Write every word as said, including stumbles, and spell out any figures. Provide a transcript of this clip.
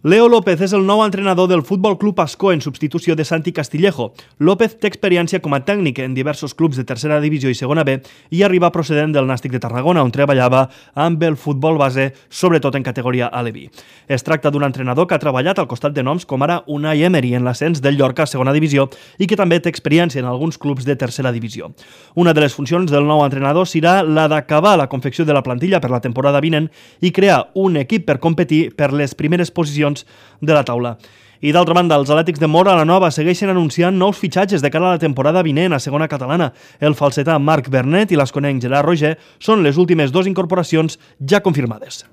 Leo López és el nou entrenador del Futbol Club Ascó en substitució de Santi Castillejo. López té experiència com a tècnic en diversos clubs de tercera divisió i segona B i arriba procedent del Nàstic de Tarragona, on treballava amb el futbol base, sobretot en categoria aleví. Es tracta d'un entrenador que ha treballat al costat de noms com ara Unai Emery en l'ascens del Llorca a segona divisió i que també té experiència en alguns clubs de tercera divisió. Una de les funcions del nou entrenador serà la d'acabar la confecció de la plantilla per la temporada vinent i crear un equip per competir per les primeres posicions de la taula. I d'altra banda, els Atlètics de Móra la Nova segueixen anunciant nous fitxatges de cara a la temporada vinent a segona catalana. El falsetà Marc Bernet i l'asconenc Gerard Roger són les últimes dues incorporacions ja confirmades.